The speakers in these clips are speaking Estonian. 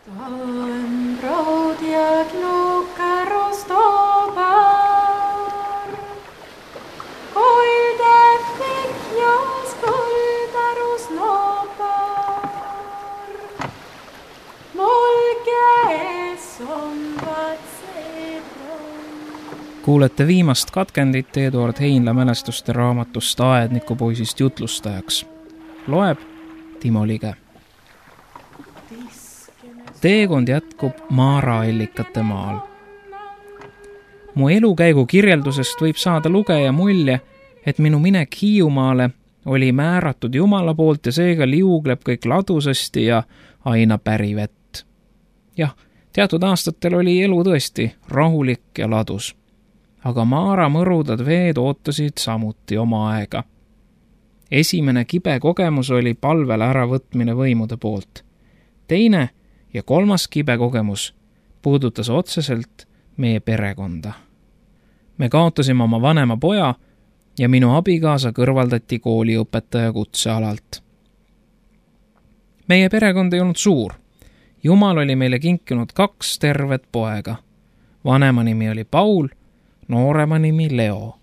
On proudjad lukerustopar, kolde fikjas koldarus nopar, molges on vatsedron. Kuulete viimast katkendit Eduard Heinla mälestuste raamatust Aednikupoisist jutlustajaks. Loeb Timo Lige. Teekond jätkub Maara-allikate maal. Mu elukäigu kirjeldusest võib saada lugeja mulje, et minu minek Hiiumaale oli määratud Jumala poolt ja seega liugleb kõik ladusasti ja aina pärivett. Jah, teatud aastatel oli elu tõesti rahulik ja ladus. Aga Maara mõrudad veed ootasid samuti oma aega. Esimene kibe kogemus oli palvele äravõtmine võimude poolt. Teine ja kolmas kibe kogemus puudutas otseselt meie perekonda. Me kaotasime oma vanema poja ja minu abikaasa kõrvaldati kooliõpetaja kutsealalt. Meie perekond ei olnud suur. Jumal oli meile kinkinud 2 tervet poega. Vanema nimi oli Paul, noorema nimi Leo.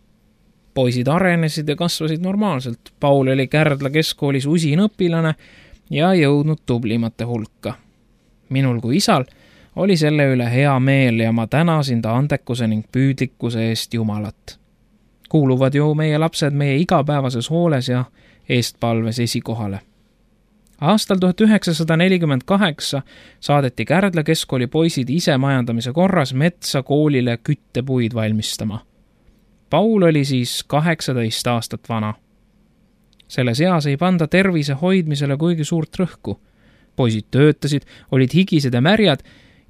Poisid arenesid ja kasvasid normaalselt. Paul oli Kärdla keskkoolis usin õpilane ja jõudnud tublimate hulka. Minul kui isal oli selle üle hea meel ja ma tänasin ta andekuse ning püüdlikkuse eest Jumalat. Kuuluvad ju meie lapsed meie igapäevases hooles ja eestpalves esikohale. Aastal 1948 saadeti Kärdla keskkooli poisid ise majandamise korras metsa koolile küttepuid valmistama. Paul oli siis 18 aastat vana. Selles eas ei panda tervise hoidmisele kuigi suurt rõhku. Poisid töötasid, olid higised ja märjad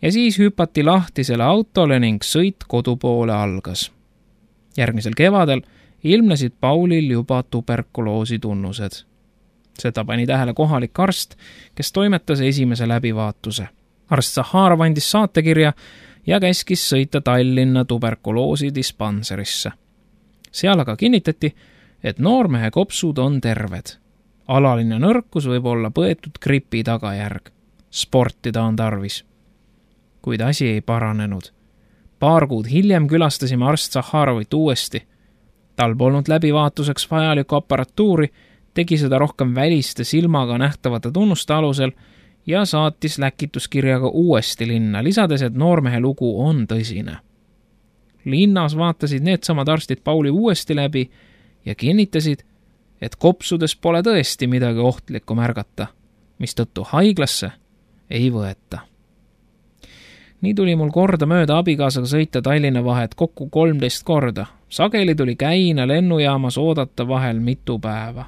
ja siis hüpati lahtisele autole ning sõit kodupoole algas. Järgmisel kevadel ilmnesid Paulil juba tuberkuloosi tunnused. Seda pani tähele kohalik arst, kes toimetas esimese läbivaatuse. Arst Zaharov andis saatekirja ja käskis sõita Tallinna tuberkuloosi dispanserisse. Seal aga kinnitati, et noormehe kopsud on terved. Alaline nõrkus võib olla põetud gripi tagajärg. Sportida on tarvis. Kuid asi ei paranenud. Paar kuud hiljem külastasime arst Zaharovit uuesti. Tal polnud läbivaatuseks vajalikku aparatuuri, tegi seda rohkem väliste silmaga nähtavate tunnuste alusel ja saatis läkituskirjaga uuesti linna, lisades, et noormehe lugu on tõsine. Linnas vaatasid needsamad arstid Pauli uuesti läbi ja kinnitasid, et kopsudes pole tõesti midagi ohtlikku märgata, mistõttu haiglasse ei võeta. Nii tuli mul korda mööda abikaasaga sõita Tallinna vahet kokku 13 korda. Sageli tuli Käina lennujaamas oodata vahel mitu päeva.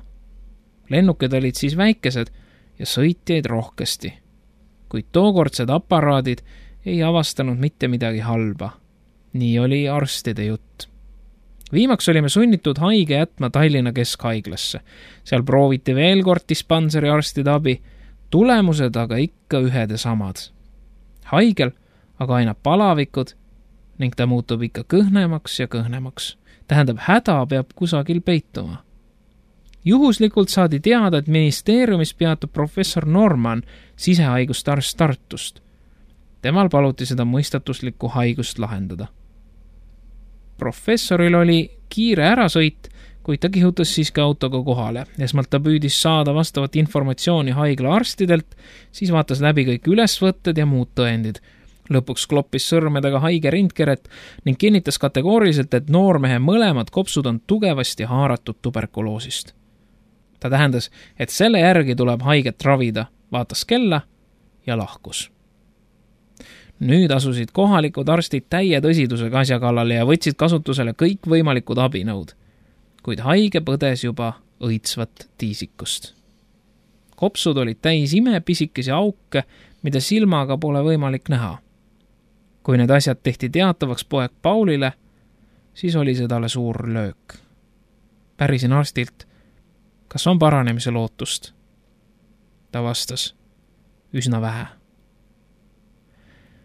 Lennukid olid siis väikesed ja sõitjaid rohkesti. Kuid tookordsed aparaadid ei avastanud mitte midagi halba. Nii oli arstide jutt. Viimaks olime sunnitud haige jätma Tallinna keskhaiglasse. Seal prooviti veel kord dispanseri arstide abi, tulemused aga ikka ühed ja samad. Haigel aga aina palavikud ning ta muutub ikka kõhnemaks ja kõhnemaks. Tähendab, häda peab kusagil peituma. Juhuslikult saadi teada, et ministeeriumis peatub professor Norman, sisehaiguste arst Tartust. Temal paluti seda mõistatuslikku haigust lahendada. Professoril oli kiire ärasõit, kuid ta kihutas siiski autoga kohale. Esmalt ta püüdis saada vastavat informatsiooni haigla arstidelt, siis vaatas läbi kõik ülesvõtted ja muud tõendid. Lõpuks kloppis sõrmedega haige rindkeret ning kinnitas kategooriliselt, et noormehe mõlemad kopsud on tugevasti haaratud tuberkuloosist. Ta tähendas, et selle järgi tuleb haiget ravida, vaatas kella ja lahkus. Nüüd asusid kohalikud arstid täie tõsidusega asja kallale ja võtsid kasutusele kõik võimalikud abinõud, kuid haige põdes juba õitsvat tiisikust. Kopsud olid täis imepisikesi auke, mida silmaga pole võimalik näha. Kui need asjad tehti teatavaks poeg Paulile, siis oli see talle suur löök. Pärisin arstilt, kas on paranemise lootust? Ta vastas, üsna vähe.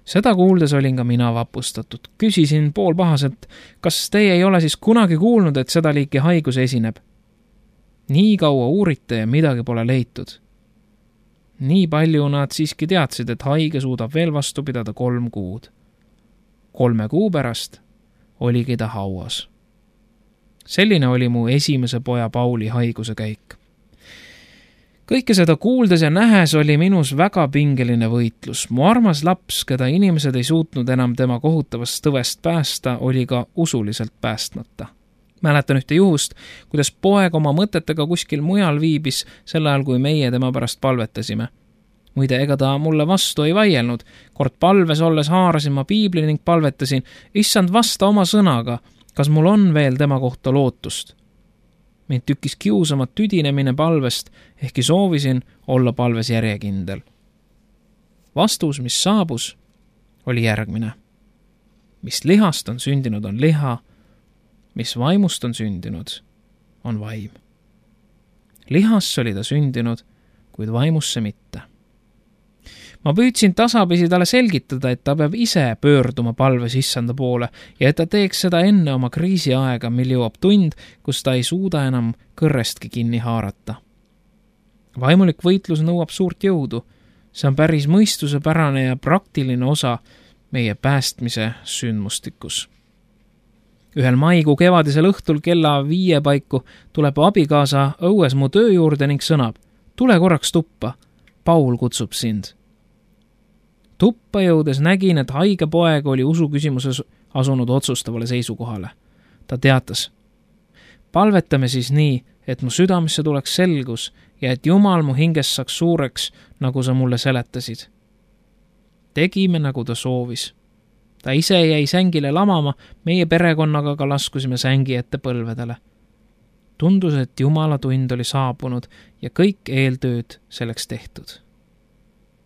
Seda kuuldes olin ka mina vapustatud. Küsisin poolpahaselt, kas teie ei ole siis kunagi kuulnud, et seda liiki haigus esineb? Nii kaua uurite ja midagi pole leitud. Nii palju nad siiski teadsid, et haige suudab veel vastu pidada 3 kuud. 3 kuu pärast oligi ta hauas. Selline oli mu esimese poja Pauli haiguse käik. Kõike seda kuuldes ja nähes oli minus väga pingeline võitlus. Mu armas laps, keda inimesed ei suutnud enam tema kohutavast tõvest päästa, oli ka usuliselt päästmata. Mäletan ühte juhust, kuidas poeg oma mõtetega kuskil mujal viibis sel ajal, kui meie tema pärast palvetasime. Muide, ega ta mulle vastu ei vaielnud. Kord palves olles haarasin ma piibli ning palvetasin, issand, vasta oma sõnaga, kas mul on veel tema kohta lootust. Mind tükkis kiusamat tüdinemine palvest, ehkki soovisin olla palves järjekindel. Vastus, mis saabus, oli järgmine. Mis lihast on sündinud, on liha, mis vaimust on sündinud, on vaim. Lihasse oli ta sündinud, kuid vaimusse mitte. Ma püüdsin tasapisi talle selgitada, et ta peab ise pöörduma palves issanda poole ja et ta teeks seda enne oma kriisiaega, mil jõuab tund, kus ta ei suuda enam kõrrestki kinni haarata. Vaimulik võitlus nõuab suurt jõudu. See on päris mõistusepärane ja praktiline osa meie päästmise sündmustikus. Ühel maikuu kevadisel õhtul kella 5 paiku tuleb abikaasa õues mu töö juurde ning sõnab, tule korraks tuppa, Paul kutsub sind. Tuppa jõudes nägin, et haige poeg oli usuküsimuses asunud otsustavale seisukohale. Ta teatas, palvetame siis nii, et mu südamesse tuleks selgus ja et Jumal mu hingest saaks suureks, nagu sa mulle seletasid. Tegime, nagu ta soovis. Ta ise jäi sängile lamama, meie perekonnaga ka laskusime sängi ette põlvedele. Tundus, et Jumala tund oli saabunud ja kõik eeltööd selleks tehtud.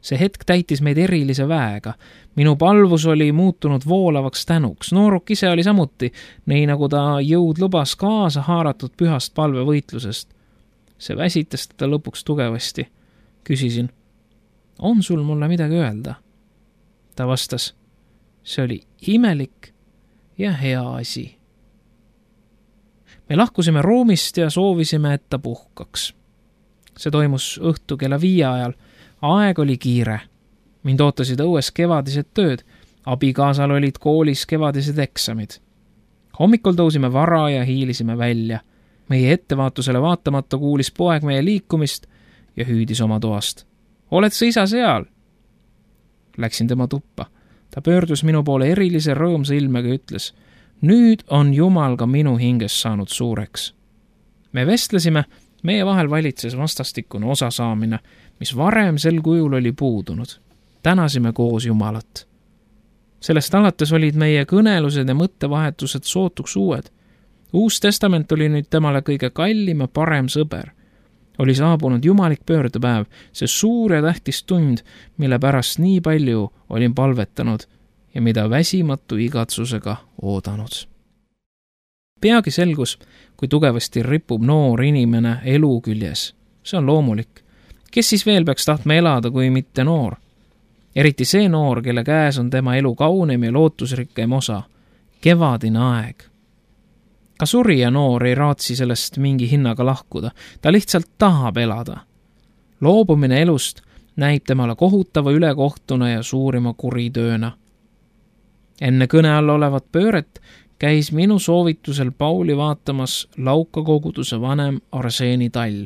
See hetk täitis meid erilise väega. Minu palvus oli muutunud voolavaks tänuks. Nooruk ise oli samuti, nii nagu ta jõud lubas kaasa haaratud pühast palvevõitlusest. See väsitas teda lõpuks tugevasti. Küsisin, on sul mulle midagi öelda? Ta vastas, see oli imelik ja hea asi. Me lahkusime ruumist ja soovisime, et ta puhkaks. See toimus õhtu kella 5 ajal. Aeg oli kiire. Mind ootasid õues kevadised tööd. Abikaasal olid koolis kevadised eksamid. Hommikul tõusime vara ja hiilisime välja. Meie ettevaatusele vaatamata kuulis poeg meie liikumist ja hüüdis oma toast. Oled sa isa seal? Läksin tema tuppa. Ta pöördus minu poole erilise rõõmsa ilmega ja ütles, nüüd on Jumal ka minu hinges saanud suureks. Me vestlesime, meie vahel valitses vastastikune osasaamine, mis varem sel kujul oli puudunud. Tänasime koos Jumalat. Sellest alates olid meie kõnelused ja mõttevahetused sootuks uued. Uus testament oli nüüd temale kõige kallim ja parem sõber. Oli saabunud jumalik pöördepäev, see suur ja tähtis tund, mille pärast nii palju olin palvetanud ja mida väsimatu igatsusega oodanud. Peagi selgus, kui tugevasti ripub noor inimene elu küljes. See on loomulik. Kes siis veel peaks tahtma elada, kui mitte noor? Eriti see noor, kelle käes on tema elu kaunim ja lootusrikkem osa. Kevadine aeg. Ka surija noor ei raatsi sellest mingi hinnaga lahkuda. Ta lihtsalt tahab elada. Loobumine elust näib temale kohutava ülekohtuna ja suurima kuritööna. Enne kõne all olevat pööret käis minu soovitusel Pauli vaatamas Lauka koguduse vanem Arseeni Tall.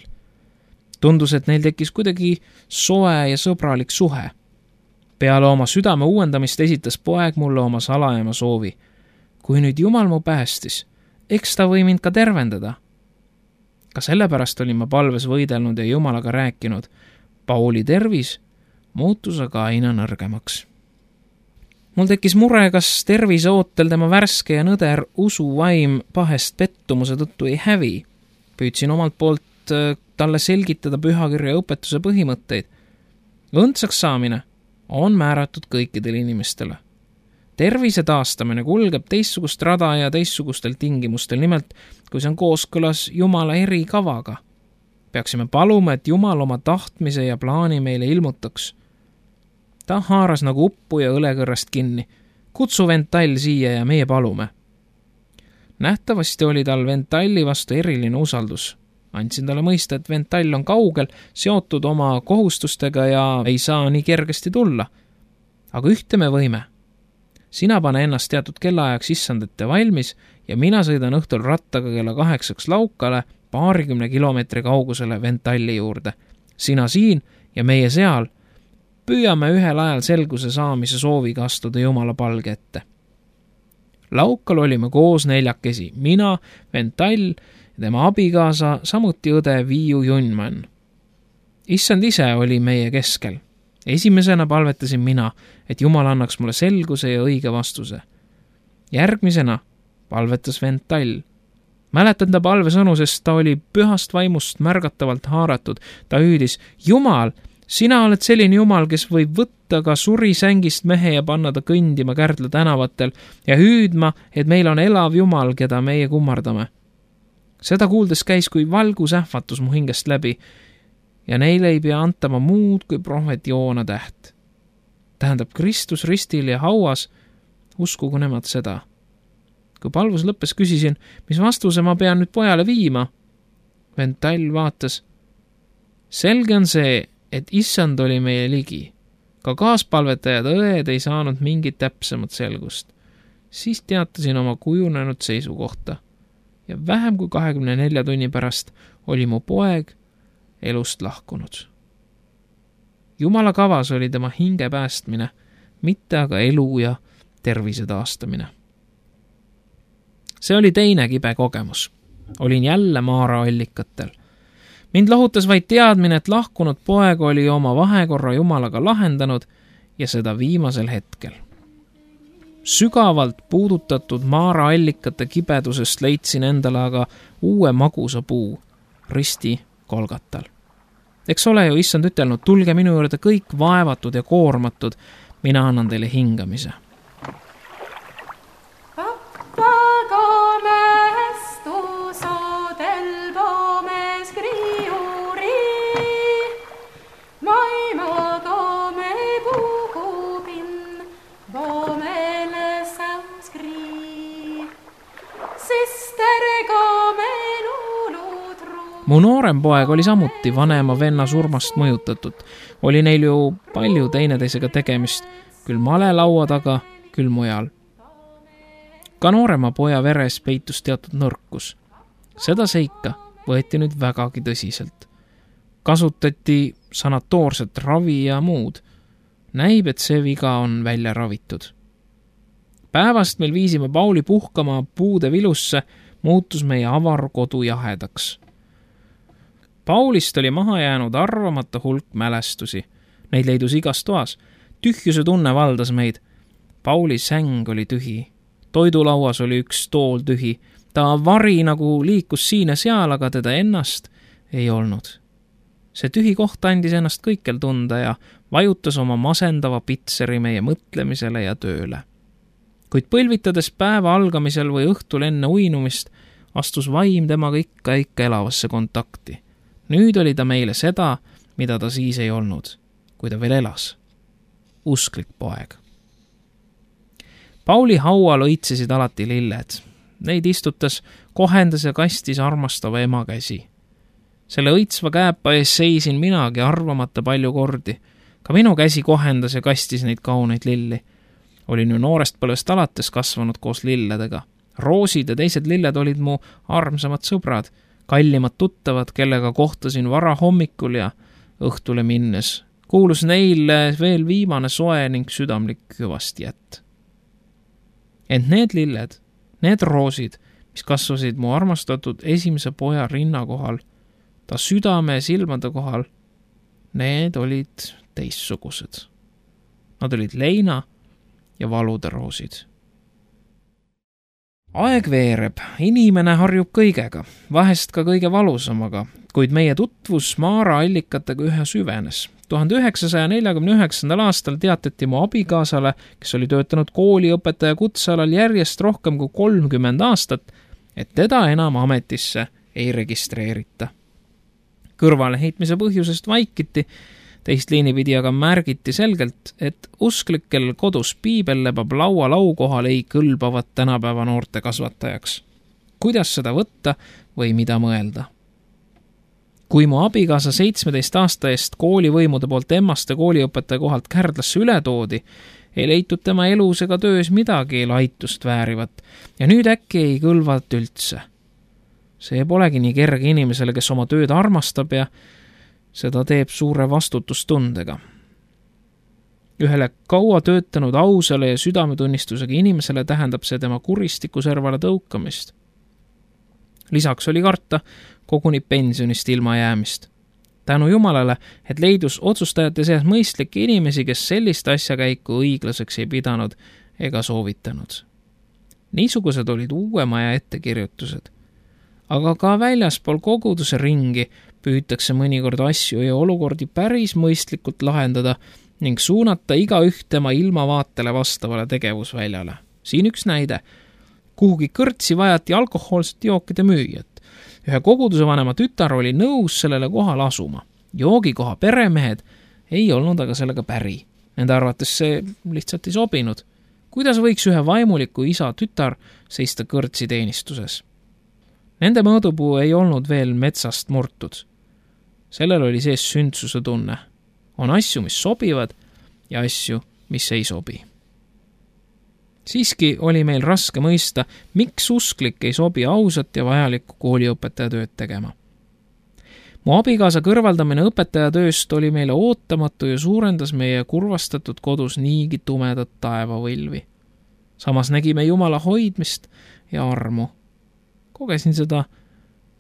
Tundus, et neil tekkis kuidagi soe ja sõbralik suhe. Peale oma südame uuendamist esitas poeg mulle oma salajama soovi. Kui nüüd Jumal mu päästis, eks ta või mind ka tervendada. Ka sellepärast olin ma palves võidelnud ja Jumalaga rääkinud. Pauli tervis muutus aga aina nõrgemaks. Mul tekkis mure, kas tervise ootel tema värske ja nõder usuvaim pahest pettumuse tõttu ei hävi. Püüdsin omalt poolt talle selgitada pühakirja õpetuse põhimõtteid. Õndsaks saamine on määratud kõikidele inimestele. Tervise taastamine kulgeb teistsugust rada ja teistsugustel tingimustel, nimelt kui see on kooskõlas Jumala erikavaga. Peaksime paluma, et Jumal oma tahtmise ja plaani meile ilmutaks. Ta haaras nagu uppu ja õlekõrrast kinni. Kutsu vend Tall siia ja meie palume. Nähtavasti oli tal vend Talli vastu eriline usaldus. Andsin talle mõista, et Ventall on kaugel, seotud oma kohustustega ja ei saa nii kergesti tulla. Aga ühte me võime. Sina pane ennast teatud kellaajaks issandete valmis ja mina sõidan õhtul rattaga kella 8 laukale 20 kilomeetri kaugusele Ventalli juurde. Sina siin ja meie seal püüame ühel ajal selguse saamise sooviga astuda Jumala palge ette. Laukal olime koos 4, mina, Ventall ja tema abikaasa, samuti õde Viiu Junman. Issand ise oli meie keskel. Esimesena palvetasin mina, et Jumal annaks mulle selguse ja õige vastuse. Järgmisena palvetas Ventall. Mäletan ta palvesõnu, sest ta oli pühast vaimust märgatavalt haaratud. Ta hüüdis, Jumal, sina oled selline Jumal, kes võib võtta ka surisängist mehe ja panna ta kõndima Kärdla tänavatel ja hüüdma, et meil on elav Jumal, keda meie kummardame. Seda kuuldes käis kui valgusähvatus mu hingest läbi ja neile ei pea antama muud kui prohvet Joona täht. Tähendab, Kristus ristil ja hauas, uskugu nemad seda. Kui palvus lõppes, küsisin, mis vastuse ma pean nüüd pojale viima. Ventall vaatas. Selge on see, et issand oli meie ligi. Ka kaaspalvetajad õed ei saanud mingit täpsemat selgust. Siis teatasin oma kujunenud seisukohta. Ja vähem kui 24 tunni pärast oli mu poeg elust lahkunud. Jumala kavas oli tema hinge päästmine, mitte aga elu ja tervise taastamine. See oli teine kibe kogemus. Olin jälle Maara allikatel. Mind lohutas vaid teadmine, et lahkunud poeg oli oma vahekorra Jumalaga lahendanud ja seda viimasel hetkel. Sügavalt puudutatud Maara allikate kibedusest leidsin endale aga uue magusa puu, risti Kolgatal. Eks ole ju issand ütelnud, tulge minu juurde kõik vaevatud ja koormatud, mina annan teile hingamise. Mu noorem poeg oli samuti vanema venna surmast mõjutatud. Oli neil ju palju teineteisega tegemist, küll malelaua taga, küll mujal. Ka noorema poja veres peitus teatud nõrkus. Seda seika võeti nüüd vägagi tõsiselt. Kasutati sanatoorset ravi ja muud. Näib, et see viga on välja ravitud. Päevast meil viisime Pauli puhkama puude vilusse, muutus meie avar kodu jahedaks. Paulist oli maha jäänud arvamata hulk mälestusi. Neid leidus igas toas. Tühjuse tunne valdas meid. Pauli säng oli tühi. Toidulauas oli üks tool tühi. Ta vari nagu liikus siin ja seal, aga teda ennast ei olnud. See tühi koht andis ennast kõikjal tunda ja vajutas oma masendava pitseri meie mõtlemisele ja tööle. Kuid põlvitades päeva algamisel või õhtul enne uinumist, astus vaim temaga ikka elavasse kontakti. Nüüd oli ta meile seda, mida ta siis ei olnud, kui ta veel elas. Usklik poeg. Pauli haual õitsesid alati lilled. Neid istutas, kohendas ja kastis armastava ema käsi. Selle õitsva käepa ees seisin minagi arvamata palju kordi. Ka minu käsi kohendas ja kastis neid kauneid lilli. Olin ju noorest põlvest alates kasvanud koos lilledega. Roosid ja teised lilled olid mu armsamad sõbrad, kallimad tuttavad, kellega kohtasin vara hommikul ja õhtule minnes. Kuulus neile veel viimane soe ning südamlik hüvastijätt. Ent need lilled, need roosid, mis kasvasid mu armastatud esimese poja rinna kohal, ta südame ja silmade kohal, need olid teistsugused. Nad olid leina ja valude roosid. Aeg veereb, inimene harjub kõigega, vahest ka kõige valusamaga, kuid meie tutvus Maara allikatega ühe süvenes. 1949. aastal teatati mu abikaasale, kes oli töötanud kooliõpetaja kutsealal järjest rohkem kui 30 aastat, et teda enam ametisse ei registreerita. Kõrvaleheitmise põhjusest vaikiti, teist liini pidi aga märgiti selgelt, et usklikel kodus piibel lebab laualau kohal ei kõlbavat tänapäeva noorte kasvatajaks. Kuidas seda võtta või mida mõelda? Kui mu abikaasa 17 aasta eest koolivõimude poolt Emmaste kooliõpetaja kohalt Kärdlasse üle toodi, ei leitud tema elus ega töös midagi laitust väärivat ja nüüd äkki ei kõlvat üldse. See polegi nii kerge inimesele, kes oma tööd armastab ja seda teeb suure vastutustundega. Ühele kaua töötanud ausale ja südametunnistusega inimesele tähendab see tema kuristiku servale tõukamist. Lisaks oli karta koguni pensionist ilma jäämist. Tänu Jumalale, et leidus otsustajate seas mõistlikke inimesi, kes sellist asjakäiku õiglaseks ei pidanud ega soovitanud. Niisugused olid uue maja ettekirjutused. Aga ka väljaspool koguduse ringi püütakse mõnikord asju ja olukordi päris mõistlikult lahendada ning suunata igaüht tema ilmavaatele vastavale tegevusväljale. Siin üks näide. Kuhugi kõrtsi vajati alkohoolsete jookide müüjat. Ühe koguduse vanema tütar oli nõus sellele kohale asuma. Joogikoha peremehed ei olnud aga sellega päri. Nende arvates see lihtsalt ei sobinud. Kuidas võiks ühe vaimuliku isa tütar seista kõrtsi teenistuses? Nende mõõdupuu ei olnud veel metsast murtud. Sellel oli sees sündsuse tunne. On asju, mis sobivad ja asju, mis ei sobi. Siiski oli meil raske mõista, miks usklik ei sobi ausat ja vajalikku kooliõpetaja tööd tegema. Mu abikaasa kõrvaldamine õpetaja tööst oli meile ootamatu ja suurendas meie kurvastatud kodus niigi tumedat taevavõlvi. Samas nägime Jumala hoidmist ja armu. Kogesin seda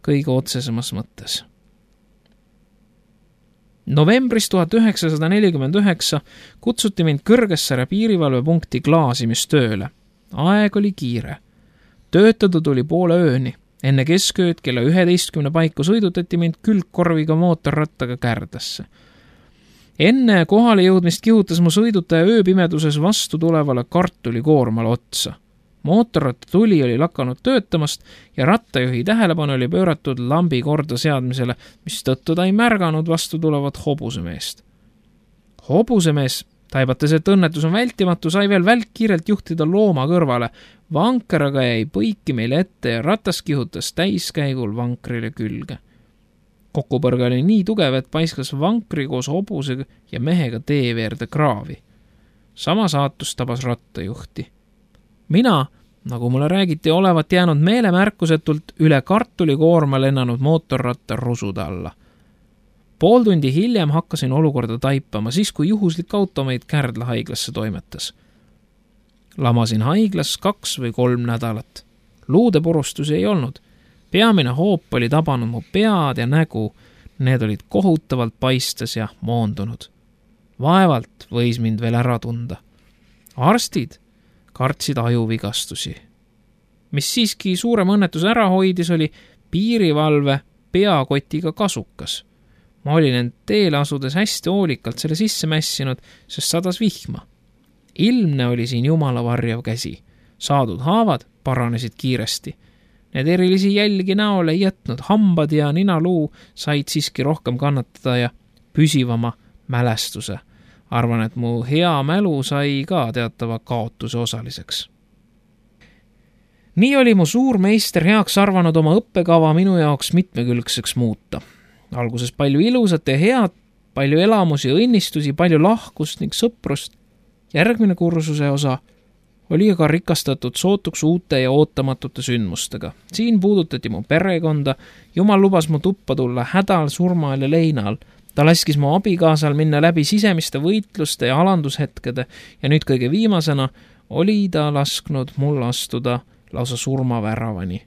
kõige otsesemas mõttes. Novembris 1949 kutsuti mind Kõrgessaare piirivalvepunkti klaasimistööle. Aeg oli kiire. Töötada tuli poole ööni. Enne keskööd kella 11 paiku sõidutati mind külgkorviga mootorrattaga Kärdlasse. Enne kohale jõudmist kihutas mu sõidutaja ööpimeduses vastu tulevale kartulikoormale otsa. Mootorratta tuli oli lakanud töötamast ja rattajuhi tähelepanu oli pööratud lambi korda seadmisele, mis tõttu ta ei märganud vastu tulevat hobusemeest. Hobusemees, taibates, et õnnetus on vältimatu, sai veel välkkiirelt juhtida looma kõrvale. Vanker aga jäi põiki meile ette ja ratas kihutas täiskäigul vankrile külge. Kokkupõrge oli nii tugev, et paiskas vankri koos hobuse ja mehega teeveerde kraavi. Sama saatus tabas rattajuhti. Mina, nagu mulle räägiti, olevat jäänud meelemärkusetult üle kartulikoorma lennanud mootorratta rusude alla. Pool tundi hiljem hakkasin olukorda taipama, siis kui juhuslik auto meid Kärdla haiglasse toimetas. Lamasin haiglas 2 või 3 nädalat. Luude purustusi ei olnud. Peamine hoop oli tabanud mu pead ja nägu. Need olid kohutavalt paistes ja moondunud. Vaevalt võis mind veel ära tunda. Arstid kartsid ajuvigastusi. Mis siiski suurem õnnetus ära hoidis, oli piirivalve peakotiga kasukas. Ma olin end teele asudes hästi hoolikalt selle sisse mässinud, sest sadas vihma. Ilmne oli siin Jumala varjav käsi. Saadud haavad paranesid kiiresti. Need erilisi jälgi näole ei jätnud, hambad ja ninaluu said siiski rohkem kannatada ja püsivama mälestuse. Arvan, et mu hea mälu sai ka teatava kaotuse osaliseks. Nii oli mu suur meister heaks arvanud oma õppekava minu jaoks mitmekülgseks muuta. Alguses palju ilusat ja head, palju elamusi ja õnnistusi, palju lahkust ning sõprust. Järgmine kursuse osa oli aga rikastatud sootuks uute ja ootamatute sündmustega. Siin puudutati mu perekonda, Jumal lubas mu tuppa tulla hädal, surmaal ja leinal. Ta laskis mu abikaasal minna läbi sisemiste võitluste ja alandushetkede ja nüüd kõige viimasena oli ta lasknud mul astuda lausa surmaväravani.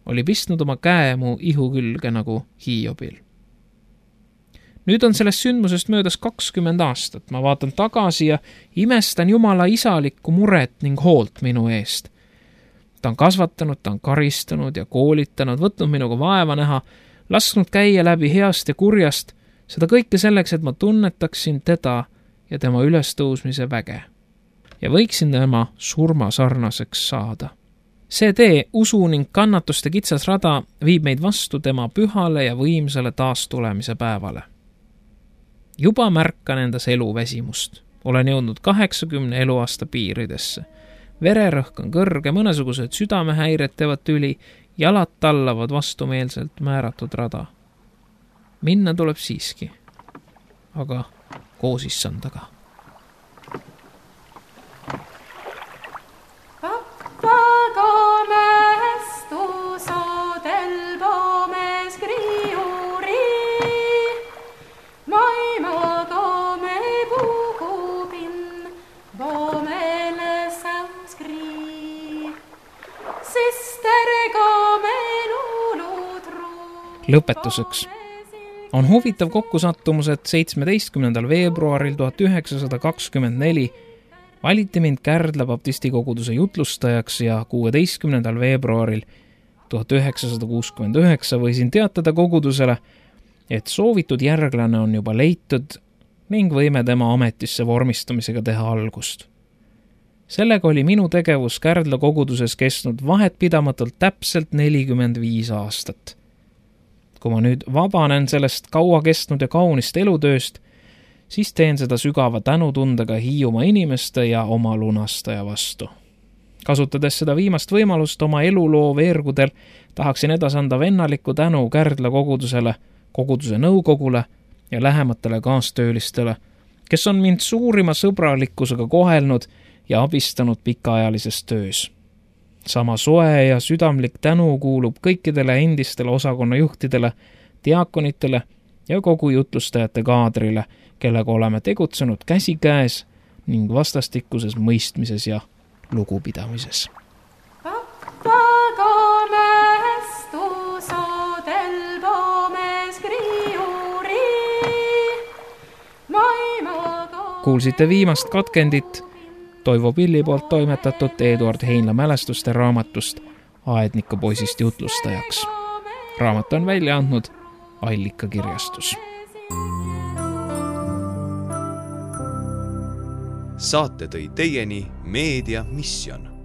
Oli pistnud oma käe mu ihu külge nagu Hiobil. Nüüd on sellest sündmusest möödas 20 aastat. Ma vaatan tagasi ja imestan Jumala isalikku muret ning hoolt minu eest. Ta on kasvatanud, ta on karistanud ja koolitanud, võtnud minuga vaeva näha, lasknud käia läbi heast ja kurjast, seda kõike selleks, et ma tunnetaksin teda ja tema ülestõusmise väge. Ja võiksin tema surma sarnaseks saada. See tee, usu ning kannatuste kitsas rada viib meid vastu tema pühale ja võimsale taastulemise päevale. Juba märkan endas eluväsimust. Olen jõudnud 80 eluaasta piiridesse. Vererõhk on kõrge, mõnesugused südamehäired teevad tüli, jalad tallavad vastumeelselt määratud rada. minna tuleb siiski, aga koos issandaga. Pappaga mästu saadel poomes kriiuri, maimaga me puhupin, poomele säuskrii, sisterga me luulutru. Lõpetuseks on huvitav kokkusattumus, et 17. veebruaril 1924 valiti mind Kärdla baptisti koguduse jutlustajaks ja 16. veebruaril 1969 võisin teatada kogudusele, et soovitud järglane on juba leitud ning võime tema ametisse vormistamisega teha algust. Sellega oli minu tegevus Kärdla koguduses kestnud vahetpidamatult täpselt 45 aastat. Kui ma nüüd vabanen sellest kaua kestnud ja kaunist elutööst, siis teen seda sügava tänutundega Hiiumaa inimeste ja oma lunastaja vastu. Kasutades seda viimast võimalust oma eluloo veergudel, tahaksin edasanda vennaliku tänu Kärdla kogudusele, koguduse nõukogule ja lähematele kaastöölistele, kes on mind suurima sõbralikkusega kohelnud ja abistanud pikaajalises töös. Sama soe ja südamlik tänu kuulub kõikidele endistele osakonnajuhtidele, diakonitele ja kogu jutlustajate kaadrile, kellega oleme tegutsenud käsikäes ning vastastikuses mõistmises ja lugupidamises. Pappaga mästu saadel poomes kriiuri, maimaga... Kuulsite viimast katkendit Toivo Pilli poolt toimetatud Eduard Heinla mälestuste raamatust Aedniku poisist jutlustajaks. Raamat on välja andnud Allika kirjastus. Saate tõi teieni Meedia Mission.